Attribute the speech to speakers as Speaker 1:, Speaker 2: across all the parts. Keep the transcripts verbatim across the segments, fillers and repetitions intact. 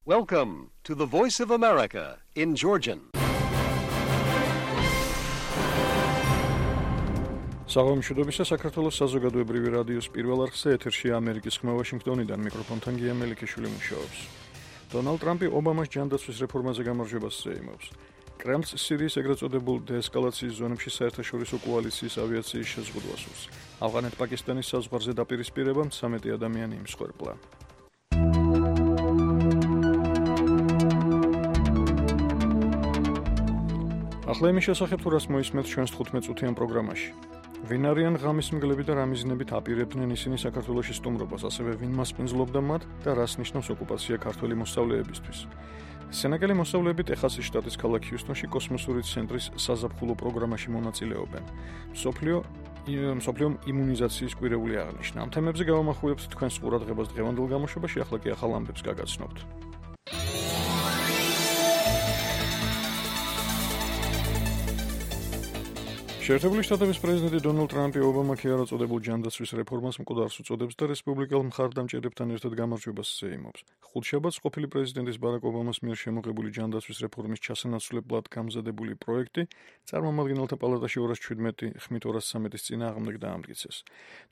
Speaker 1: Welcome to the Voice of America in Georgian.
Speaker 2: საღამოშუდობისა საქართველოს საზოგადოებრივი რადიოს პირველ არხზე ეთერშია ამერიკის ხმა ვაშინგტონიდან მიკროფონთან გია მელიქიშვილი მუშაობს. დონალდ ტრამპი ობამას ჯანდაცვის რეფორმაზე გამარჯვებას ზეიმობს. კრემლს სირიის ეგრეთ წოდებულ დეესკალაციის ზონებში საერთაშორისო კოალიციის ავიაციის შეზღუდვას უსურს. ავღანეთ-პაკისტანის საზღვარზე დაპირისპირებამ ცამეტი ადამიანი იმსხვერპლა. ახლა იმის შესახებ თუ რას მოისმენთ ჩვენს თხუთმეტ წუთიან პროგრამაში. ვინ არიან ღამის მგლები და რა მიზნებით აპირებდნენ ისინი საქართველოში სტუმრობას, ასევე ვინ მასპინძლობდა მათ და რას ნიშნავს ოკუპაცია ქართველი მოსწავლეებისთვის. სენაკელი მოსწავლეები ტეხასის შტატის ქალაქ ჰიუსტონში კოსმოსური ცენტრის საზაფხულო პროგრამაში მონაწილეობენ. მსოფლიო მსოფლიო იმუნიზაციის კვირეული აღნიშნა. ამ თემებზე გავამახვილებთ თქვენს ყურადღებას დღევანდელ გამოშვებაში, ახლა კი ახალ ამბებს გაგაცნობთ. შეერთებული შტატების პრეზიდენტი დონალდ ტრამპი ობამას არ წოდებულ ჯანდაცვის რეფორმას მკვდარს უწოდებს და რესპუბლიკელ მხარდამჭერებთან ერთად გამარჯვებას ზეიმობს. ხუთშაბათს ყოფილი პრეზიდენტის ბარაკ ობამას მიერ შემოღებული ჯანდაცვის რეფორმის ჩასანაცვლებლად გამზადებული პროექტი წარმომადგენელთა პალატაში ორას შვიდმეტი ხმით ორას ცამეტის წინააღმდეგ დაამტკიცეს.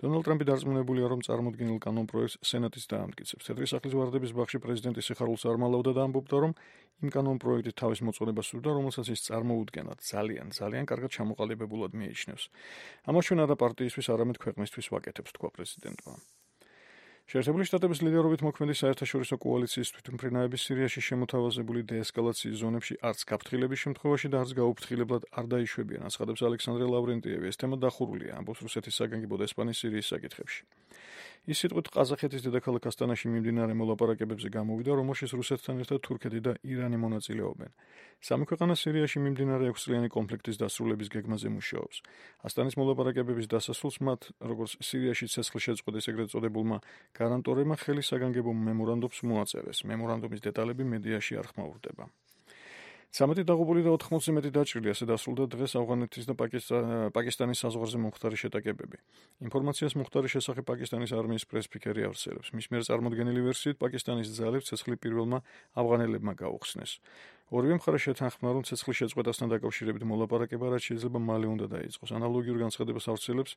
Speaker 2: დონალდ ტრამპი დარწმუნებულია, რომ წარმოდგენილ კანონ პროექტს სენატიც დაამტკიცებს. თეთრი სახლის ვარდების ბაღში პრეზიდენტის სიხარულს არ მალავდა და ამბობდა, რომ იმ კანონ პროექტით თავის მოწონებას სურდა, რომელსაც ის წარმოუდგენად ძალიან, ძალიან კარგად ჩამოყალიბებულ მიიჩნევს. ამას ჩვენ არა პარტიისთვის, არამედ ქვეყნისთვის ვაკეთებს, თქვა პრეზიდენტმა. შეერთებული შტატების ლიდერობით მოქმედი საერთაშორისო კოალიციის თვითმფრინავების სირიაში შემოთავაზებული დეესკალაციის ზონებში არც გაფრთხილების შემთხვევაში და არც გაუფრთხილებლად არ დაიშვებიან, აცხადებს ალექსანდრე ლავრენტიევი. ეს თემა დახურულია, ამბობს რუსეთის საგანგებო დესპანი სირიის საკითხებში. ის სიტყვით ყაზახეთის დედაქალაქ ასტანაში მიმდინარე მოლაპარაკებებზე გამოვიდა, რომელშიც რუსეთთან ერთად თურქეთი და ირანი მონაწილეობენ. სამი ქვეყანა სირიაში მიმდინარე ექვსწლიანი კონფლიქტის დასრულების გეგმაზე მუშაობს. ასტანის მოლაპარაკებების დასასრულს მათ, როგორც სირიაში ცეცხლშეწყვეტის ეგრეთ წოდებულმა გარანტორებმა ხელი საგანგებო მემორანდუმს მოაწერეს. მემორანდუმის დეტალები მედიაში არ ხმაურდება. ცამეტი დაღუპული და ოთხმოცზე მეტი დაჭრილი, ასე დასრულდა დღეს ავღანეთის და პაკისტანის საზღვარზე მომხდარი შეტაკებები. ინფორმაციას მომხდარი შესახებ პაკისტანის არმიის პრესფიქერი ავრცელებს. მის მიერ წარმოდგენილი ვერსიით პაკისტანის ძალებს ცეცხლი პირველმა ავღანელებმა გაუხსნეს. ორივე მხარე შეთანხმდა, რომ ცეცხლის შეწყვეტასთან დაკავშირებით მოლაპარაკება რაც შეიძლება მალე უნდა დაიწყოს. ანალოგიურ განცხადებას ავრცელებს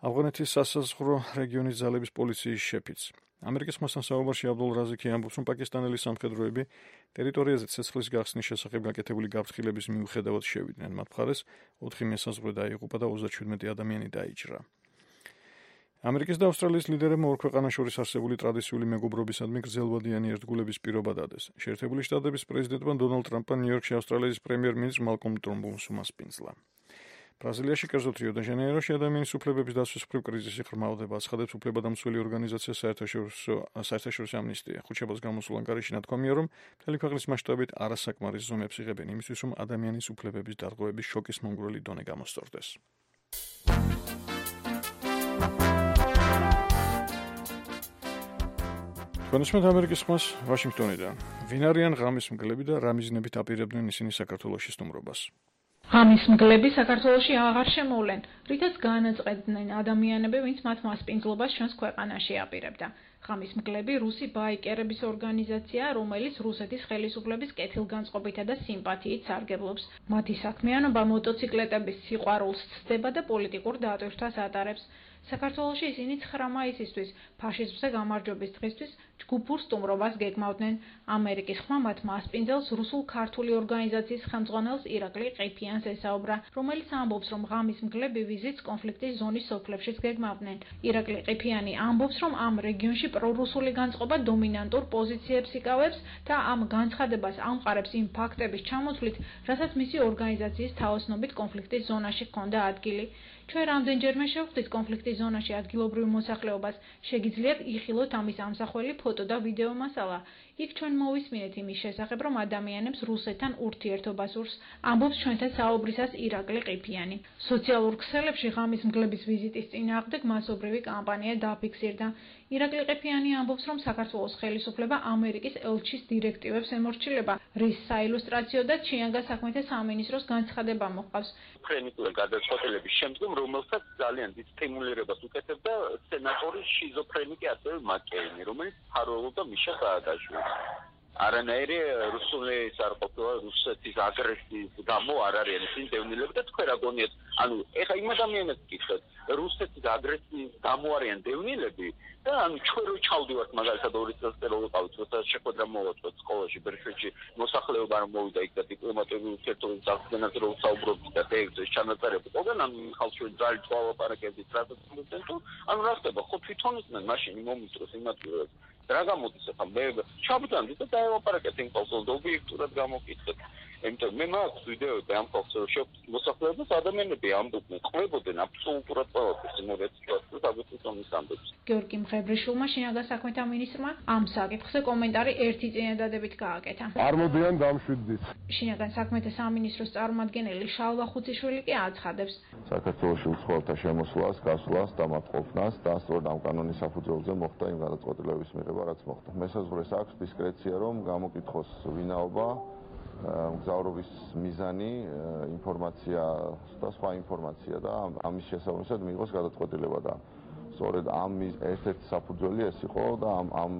Speaker 2: ავღანეთის სასაზღვრო რეგიონის ძალების პოლიციის შეფიც. ამერიკის ხმასთან საუბარში აბდულ რაზიკი ამბობს, რომ პაკისტანელი სამხედროები ტერიტორიაზე ცეცხლის გახსნის შესახებ გაკეთებული გაფრთხილების მიუხედავად შევიდნენ. მათ მხარეს ოთხი მესაზღვრე დაიღუპა და ოცდაშვიდმეტი ადამიანი დაიჭრა. ამერიკის და ავსტრალიის ლიდერებმა ორ ქვეყანას შორის არსებული ტრადიციული მეგობრობისადმი გრძელვადიანი ერთგულების პირობა დადეს. შეერთებული შტატების პრეზიდენტმა დონალდ ტრამპმა ნიუ-იორკში ავსტრალიის პრემიერ-მინისტრ მალკომ ტრუნბულს უმასპინძლა. ბრაზილიაში, კერძოდ რიო-დე-ჟანეიროში ადამიანის უფლებების დაცვის მხრივ კრიზისი ღრმავდება, აცხადებს უფლებადამცველი ორგანიზაცია საერთაშორისო საერთაშორისო ამნისტია. ხუთშაბათს გამოსულ ანგარიში ნათქვამია, რომ მთელი ქვეყნის მასშტაბით არასაკმარის ზომებს იღებენ იმისთვის, რომ ადამიანის უფლებების დარღვევების შოკის მომგვრელი დონე გამოსწორდეს. თქვენისმეთ ამერიკის ხმას ვაშინგტონიდან. ვინ არიან ღამის მგლები და რა მიზნებით აპირებდნენ ისინი საქართველოში სტუმრობას?
Speaker 3: ღამის მგლები საქართველოში აღარ შემოვლენ, რითაც განაწყედნენ ადამიანები, ვინც მათ მასპინძლობას ჩვენს ქვეყანაში აპირებდა. ღამის მგლები რუსი ბაიკერების ორგანიზაცია, რომელიც რუსეთის ხელისუფლების კეთილგანწყობითა და სიმპათიით სარგებლობს. მათი საქმიანობა მოტოციკლეტების სიყვარულს ცდება და პოლიტიკურ დატვირთვას ატარებს. საქართველოში ისინი ცხრა მაისისთვის, ფაშიზმზე გამარჯვების დღისთვის, ჯგუფურ სტუმრობას გეგმავდნენ. ამერიკის ხმა მათ მასპინძელს რუსულ-ქართული ორგანიზაციის ხელმძღვანელს ირაკლი ყიფიანს ესაუბრა, რომელიც ამბობს, რომ ღამის მგლები ვიზიტს კონფლიქტის ზონის სოფლებშიც გეგმავდნენ. ირაკლი ყიფიანი ამბობს, რომ ამ რეგიონში პრორუსული განწყობა დომინანტურ პოზიციებს იკავებს და ამ განცხადებას ამყარებს იმ ფაქტების ჩამოთვლით, რასაც მისი ორგანიზაციის თაოსნობით კონფლიქტის ზონაში ჰქონდა ადგილი. ჩვენ რამდენჯერმე შევხვდით კონფლიქტის ზონაში ადგილობრივ მოსახლეობას, შეგიძლიათ იხილოთ ამის ამსახველი ფოტო და ვიდეო მასალა. იქ ჩვენ მოვისმინეთ იმის შესახებ, რომ ადამიანებს რუსეთთან ურთიერთობა სურს, ამბობს ჩვენთან საუბრისას ირაკლი ყიფიანი. სოციალურ ქსელებში ღამის მგლების ვიზიტის წინააღმდეგ მასობრივი კამპანია დაფიქსირდა. ირაკლი ყიფიანი ამბობს, რომ საქართველოს ხელისუფლება ამერიკის ელჩის დირექტივებს ემორჩილება, რის საილუსტრაციო და ჩიანგა საქმეთა სამინისტროს განცხადება მოჰყავს.
Speaker 4: ფრენიკული გადაწყვეტილების შემდგომ, რომელსაც ძალიან დიდ სტიმულირებას უკეთებდა სენატორი შიზოფრენიკი ასევე მაკეინი, რომელიც მფარველობდა მიშა სააკაშვილს. არანაირი რუსული არ ყოფილა რუსეთის აგრესიის გამო არ არის ისინი დევნილები და თქვენ რა გონიათ ანუ ეხა იმ ადამიანებს გითხეთ რუსეთის აგრესიის გამო არიან დევნილები და ანუ ჩვენ რო ჩავდივართ მაგალითად ორი წელს წინ ვიყავით როცა შეხვედრა მოვაწვეთ სკოლაში ბერშვეთში მოსახლეობა რომ მოვიდა იქ და დიპლომატიური ურთიერთობების აღდგენაზე რო საუბრობთ და ეს ჩანაწერები ყველგან ანუ ხალხური ძალით ვალაპარაკებდით რასაც მოძენ თუ ანუ რა ხდება ხო თვითონ ისმენ მაშინ მომიწროს იმათვე რა გამოდის ახლა მე ჩავდანდი და დაევალაპარაკეთ იმ ხალხს და ობიექტურად გამოკითხეთ იმიტომ მე მაქვს ვიდეოები ამ ხალხს რომ მოსახლეობას ადამიანები ამბობდნენ ყვებოდნენ აბსოლუტურად ყველაფერს იმედად სიტუაციას აგუწონის ამბებს
Speaker 3: გიორგი მღებრიშვილმა შინაგან საქმეთა მინისტრმა ამ საკითხზე კომენტარი ერთი წინადადებით გააკეთა.
Speaker 5: არ მოდიან დამშვიდდით.
Speaker 3: შინაგან საქმეთა სამინისტროს წარმომადგენელი შალვა ხუციშვილი კი აცხადებს.
Speaker 5: საქართველოში უცხოელთა შემოსვლას, გასვლას, დამატყოფნას და სწორედ ამ კანონის საფუძველზე მოხდა იმ გადაწყვეტილების მიღება, რაც მოხდა. მესაზღვრეს აქვს დისკრეცია, რომ გამოკითხოს ვინაობა, მგზავრობის მიზანი, ინფორმაცია და სხვა ინფორმაცია და ამის შესაბამისად მიიღოს გადაწყვეტილება და სწორედ ამ ერთ-ერთი საფუძველი ეს იყო და ამ ამ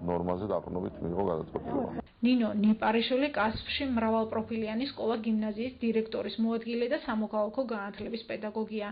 Speaker 5: ნორმაზე დაყრდნობით მიიღო გადაწყვეტილება.
Speaker 3: ნინო ნიპარიშვილი კასპში მრავალპროფილიანი სკოლა გიმნაზიის დირექტორის მოადგილე და სამოქალაქო განათლების პედაგოგია.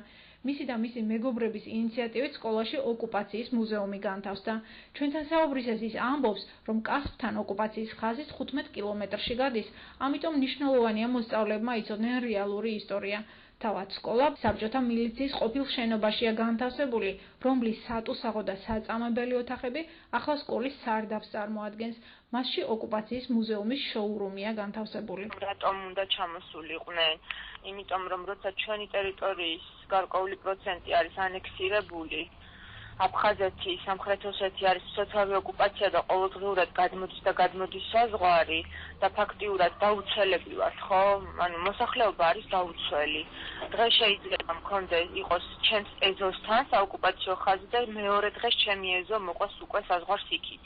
Speaker 3: მისი და მისი მეგობრების ინიციატივით სკოლაში ოკუპაციის მუზეუმი განთავსდა. ჩვენთან საუბრისას ის ამბობს, რომ კასპთან ოკუპაციის ხაზის თხუთმეტ კილომეტრში გადის, ამიტომ მნიშვნელოვანია მოსწავლეებმა იცოდნენ რეალური ისტორია. თავად სკოლა საბჭოთა მილიციის ყოფილ შენობაშია განთავსებული, რომლის სატუსაღო და საწამებელი ოთახები ახლა სკოლის სარდაფს წარმოადგენს. მასში ოკუპაციის მუზეუმის შოურუმია განთავსებული.
Speaker 6: რატომ უნდა ჩამოსულიყვნენ? იმიტომ რომ როცა ჩვენი ტერიტორიის გარკვეული პროცენტი არის ანექსირებული, აფხაზეთი, სამხრეთ ოსეთი არის სოციალური ოკუპაცია და ყოველდღიურად გადმოდის და გადმოდის საზღვარი და ფაქტიურად დაუცველები ვართ, ხო? ანუ მოსახლეობა არის დაუცველი. დღეს შეიძლება მქონდეს იყოს ჩემს ეზოსთან საოკუპაციო ხაზი და მეორე დღეს ჩემი ეზო მოყვეს უკვე საზღვარს იქით.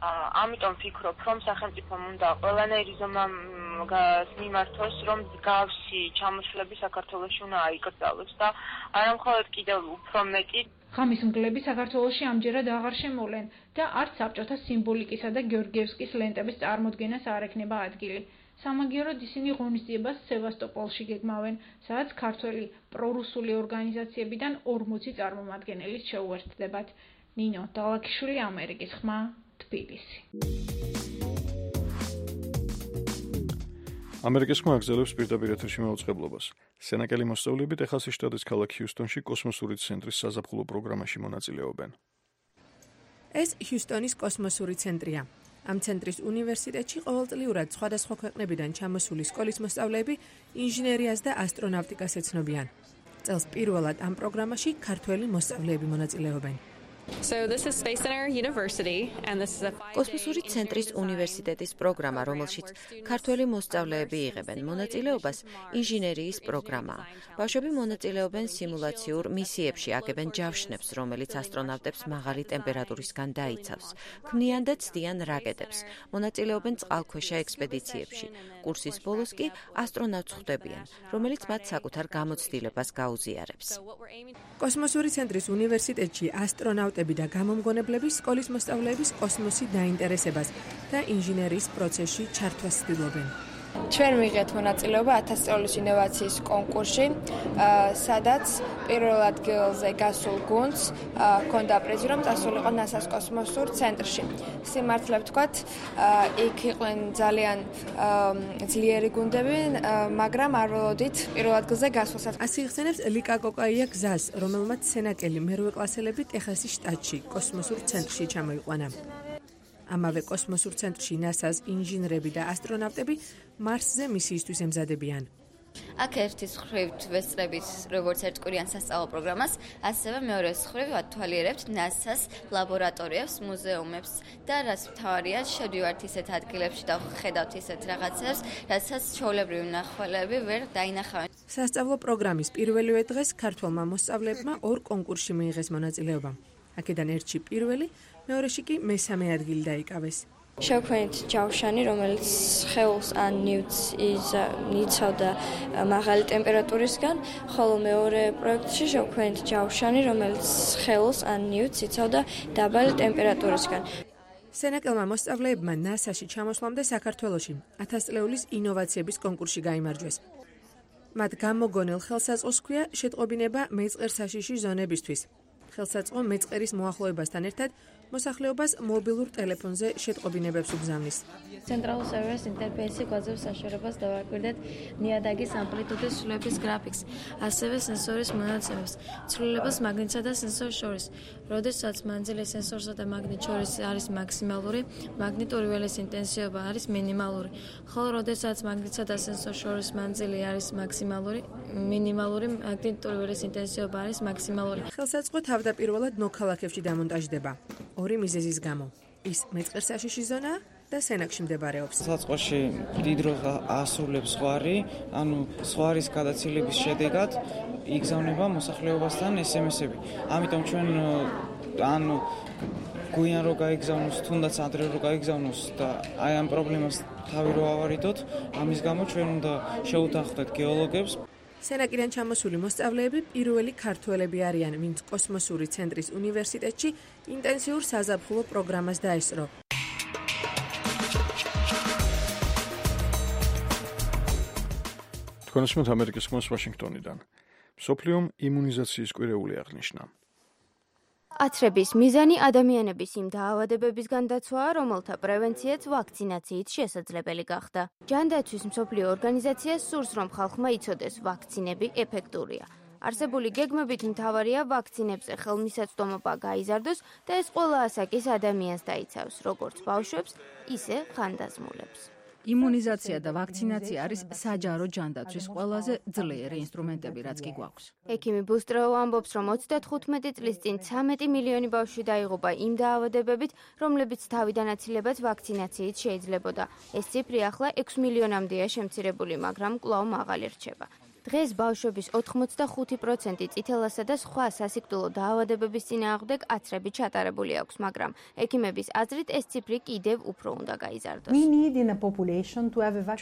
Speaker 6: ამიტომ ვფიქრობ, რომ სახელმწიფომ უნდა ყველანაირი ზომა მიმართოს, რომ მსგავსი ჩამოსვლები საქართველოში უნდა აიკრძალოს და არა მხოლოდ კიდევ უფრო მეტი
Speaker 3: ღამის მგლები საქართველოში ამჯერად აღარ შემოვლენ და არც საბჭოთა სიმბოლიკისა და გეორგიევსკის ლენტების წარმოდგენას არ ექნება ადგილი. სამაგიეროდ ისინი ღონისძიებას სევასტოპოლში გეგმავენ, სადაც ქართველი პრორუსული ორგანიზაციებიდან ორმოცი წარმომადგენელიც შეუერთდებათ. ნინო დალაქიშვილი, ამერიკის ხმა, თბილისი.
Speaker 2: ამერიკის ხმა აგზელებს პირდაპირ ეთერში მაუწყებლობას. სენაკელი მოსწავლეები ტეხასის შტატის ქალაქ ჰიუსტონში კოსმოსური ცენტრის საზაფხულო პროგრამაში მონაწილეობენ.
Speaker 7: ეს ჰიუსტონის კოსმოსური ცენტრია. ამ ცენტრის უნივერსიტეტში ყოველწლიურად სხვადასხვა ქვეყნებიდან ჩამოსული სკოლის მოსწავლეები ინჟინერიას და ასტრონავტიკას ეცნობიან. წელს პირველად ამ პროგრამაში ქართველი მოსწავლეები მონაწილეობენ.
Speaker 8: კოსმოსური ცენტრის უნივერსიტეტის პროგრამა, რომელშიც ქართველი მოსწავლეები იღებენ მონაწილეობას, ინჟინერიის პროგრამაა. ბავშვები მონაწილეობენ სიმულაციურ მისიებში, აგებენ ჯავშნებს, რომელიც ასტრონავტებს მაღალი ტემპერატურისგან დაიცავს, ქმნიან და ცდიან რაკეტებს, მონაწილეობენ წყალქვეშა ექსპედიციებში. კურსის ბოლოს კი ასტრონავტს ხვდებიან, რომელიც მათ საკუთარ გამოცდილებას გაუზიარებს.
Speaker 7: კოსმოსური ცენტრის უნივერსიტეტში ასტრონავტები და გამომგონებლები სკოლის მოსწავლეების კოსმოსი დაინტერესებას და ინჟინერიის პროცესში ჩართვას ცდილობენ.
Speaker 9: ჩვენ ვიღეთ მონაწილეობა ათას წელის ინოვაციის კონკურსში, სადაც პირველ ადგილზე გასულ გუნდს ჰქონდა პრიზი, რომ წასულიყო ნასას კოსმოსურ ცენტრში. სიმართლე ვთქვათ, იქ იყვნენ ძალიან ძლიერი გუნდები, მაგრამ არ ველოდით პირველ ადგილზე გასვლას.
Speaker 7: ასე იხსენებს ლიკა კოკაია გზას, რომელმაც სენაკელი მერვე კლასელები ტეხასის შტატში კოსმოსურ ცენტრში ჩამოიყვანა. ამავე კოსმოსურ ცენტრში ნასას ინჟინრები და ასტრონავტები მარსზე მისიისთვის ემზადებიან.
Speaker 10: აქ ერთი მხრივ ვესწრებით როგორც ერთკვირიან სასწავლო პროგრამას, ასევე მეორე მხრივ ვათვალიერებთ ნასას ლაბორატორიებს, მუზეუმებს და რაც მთავარია, შევდივართ ისეთ ადგილებში და ხედავთ ისეთ რაღაცებს, რასაც ჩვეულებრივი მნახველები ვერ დაინახავენ.
Speaker 7: სასწავლო პროგრამის პირველივე დღეს ქართველმა მოსწავლეებმა ორ კონკურსში მიიღეს მონაწილეობა. აქედან ერთში პირველი, მეორეში კი მესამე ადგილი დაიკავეს.
Speaker 9: შევქმნით ჯავშანი, რომელიც სხეულს ან ნივთს იცავდა მაღალი ტემპერატურისგან, ხოლო მეორე პროექტში შევქმნით ჯავშანი, რომელიც სხეულს ან ნივთს იცავდა დაბალი ტემპერატურისგან.
Speaker 7: სენაკელმა მოსწავლეებმა ნასაში ჩამოსვლამდე საქართველოში ათასწლეულის ინოვაციების კონკურსში გაიმარჯვეს. მათ გამოგონილ ხელსაწყოს ჰქვია შეტყობინება მეწყერსაშიში ზონებისთვის. ხელსაწყო მეწყერის მოახლოებასთან ერთად მოსახლეობას მობილურ ტელეფონზე შეტყობინებებს უბრძანის.
Speaker 11: ცენტრალურ სერვერს ინტერფეისი გვაძლევს საშუალებას დავაკვირდეთ ნიადაგის ამპლიტუდის ცვლილების გრაფიკს, ასევე სენსორის მონაცემებს, ცვლილებას მაგნიტსა და სენსორს შორის. როდესაც მანძილი სენსორსა და მაგნიტ შორის არის მაქსიმალური, მაგნიტური ველის ინტენსივობა არის მინიმალური, ხოლო როდესაც მაგნიტსა და სენსორს შორის მანძილი არის მაქსიმალური, მინიმალური, მაგნიტური ველის ინტენსივობა არის მაქსიმალური.
Speaker 7: ხელსაწყო თავდაპირველად ნოქალაქებში დამონტაჟდება. ორი მიზეზის გამო. ის მეწყერსაშიში ზონაა და სენაკში მდებარეობს.
Speaker 12: საწყოში დიდ როლს ასრულებს ზღვარი, ანუ ზღვარის გადაცილების შედეგად იგზავნება მოსახლეობასთან ეს ემ ესები. ამიტომ ჩვენ ანუ გვიან რო გაიგზავნოს, თუნდაც ადრე რო გაიგზავნოს და აი ამ პრობლემას თავი რო ავარიდოთ, ამის გამო ჩვენ უნდა შევუთანხმდეთ გეოლოგებს.
Speaker 7: სენაკიდან ჩამოსული მოსწავლეები პირველი ქართველები არიან, ვინც კოსმოსური ცენტრის უნივერსიტეტში ინტენსიურ საზაფხულო პროგრამას დაესწრო.
Speaker 2: თქვენ უსმენთ ამერიკის ხმას ვაშინგტონიდან. მსოფლიომ იმუნიზაციის კვირეული აღნიშნა.
Speaker 13: აცრების მიზანი ადამიანების იმ დაავადებებისგან დაცვაა, რომელთა პრევენციაც ვაქცინაციით შესაძლებელი გახდა. ჯანდაცვის მსოფლიო ორგანიზაცია სურს, რომ ხალხმა იცოდეს, ვაქცინები ეფექტურია. არსებული გეგმებით მთავარია ვაქცინებზე ხელმისაწვდომობა გაიზარდოს და ეს ყველა ასაკის ადამიანს დაიცავს, როგორც ბავშვებს, ისე ხანდაზმულებს.
Speaker 14: იმუნიზაცია და ვაქცინაცია არის საჯარო ჯანდაცვის ყველაზე ძლიერი ინსტრუმენტები, რაც კი გვაქვს.
Speaker 13: ექიმი ბუსტროუ ამბობს, რომ ოცდათხუთმეტი წლის წინ ცამეტი მილიონი ბავშვი დაიღუპა იმ დაავადებებით, რომლებიც თავიდან აცილებაც ვაქცინაციით შეიძლებოდა. ეს ციფრი ახლა ექვს მილიონამდეა შემცირებული, მაგრამ კვლავ მაღალი რჩება. დღეს ბავშვების ოთხმოცდახუთი პროცენტი წითელასა და სხვა სასიკვდილო დაავადებების წინააღმდეგ აცრებით ჩატარებული აქვს, მაგრამ ექიმების აზრით ეს ციფრი კიდევ უფრო უნდა გაიზარდოს.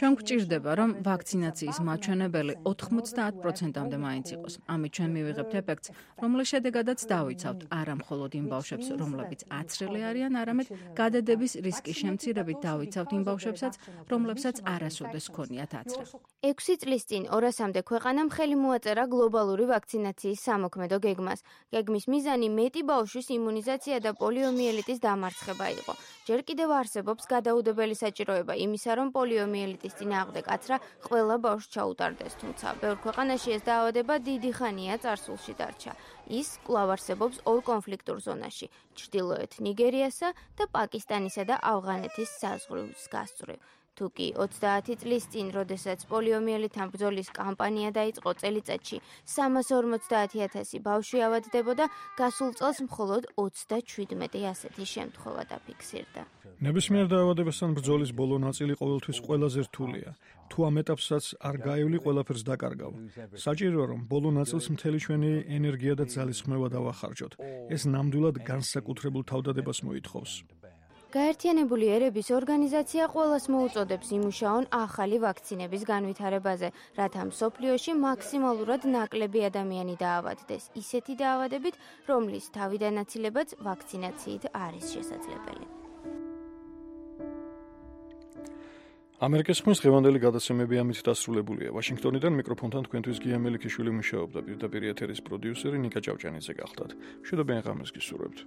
Speaker 14: ჩვენ გვჭირდება, რომ ვაქცინაციის მაჩვენებელი ოთხმოცდაათ პროცენტამდე მაინც იყოს. ამით ჩვენ მივიღებთ ეფექტს, რომლის შედეგადაც დავიცავთ არა მხოლოდ იმ ბავშვებს, რომლებიც აცრელი არიან, არამედ გადადების რისკის შემცირებით დავიცავთ იმ ბავშვებსაც, რომლებსაც არასოდეს ჰქონიათ აცრა.
Speaker 13: ექვსი წლის წინ ორასამდე ქვეყანამ ხელი მოაწერა გლობალური ვაქცინაციის სამოქმედო გეგმას. გეგმის მიზანი მეტი ბავშვის იმუნიზაცია და პოლიომიელიტის დამარცხება იყო. ჯერ კიდევ არსებობს გადაუდებელი საჭიროება იმისა, რომ პოლიომიელიტის წინააღმდეგ აცრა ყველა ბავშვს ჩაუტარდეს, თუმცა ბევრ ქვეყანაში ეს დაავადება დიდი ხანია წარსულში დარჩა. ის კვლავ არსებობს ორ კონფლიქტურ ზონაში, ჩრდილოეთ ნიგერიასა და პაკისტანისა და ავღანეთის საზღვრის გასწვრივ. თუკი ოცდაათი წლის წინ, როდესაც პოლიომიელიტთან ბრძოლის კამპანია დაიწყო წელიწადში სამას ორმოცდაათი ათასი ბავშვი ავადდებოდა, გასულ წელს მხოლოდ ოცდაჩვიდმეტი ასეთი შემთხვევა დაფიქსირდა.
Speaker 2: ნებისმიერ დაავადებასთან ბრძოლის ბოლო ნაწილი ყოველთვის ყველაზე რთულია. თუ ამ ეტაპსაც არ გაივლი, ყველაფერს დაკარგავ. საჭიროა, რომ ბოლო ნაწილს მთელი ჩვენი ენერგია და ძალისხმევა დავახარჯოთ. ეს ნამდვილად განსაკუთრებულ თავდადებას მოითხოვს.
Speaker 13: გაერთიანებული ერების ორგანიზაცია ყველას მოუწოდებს იმუშაონ ახალი ვაქცინების განვითარებაზე, რათა მსოფლიოში მაქსიმალურად ნაკლები ადამიანი დაავადდეს ისეთი დაავადებით, რომლის თავიდან აცილებაც ვაქცინაციით არის შესაძლებელი.
Speaker 2: ამერიკის ხმის ღევანდელი გადაცემები ამით დასრულებულია. ვაშინგტონიდან მიკროფონთან თქვენთვის გია მელიქიშვილი მუშაობდა, პირდაპირ ეთერის პროდიუსერი ნიკა ჭავჭანიძე გახლდათ. მშვიდობიან ღამეს გისურვებთ.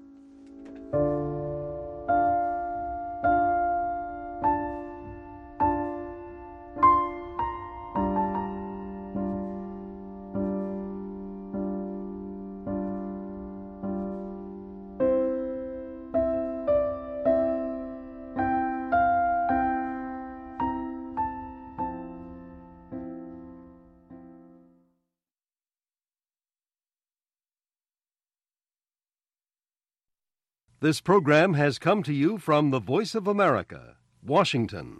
Speaker 1: This program has come to you from the Voice of America, Washington.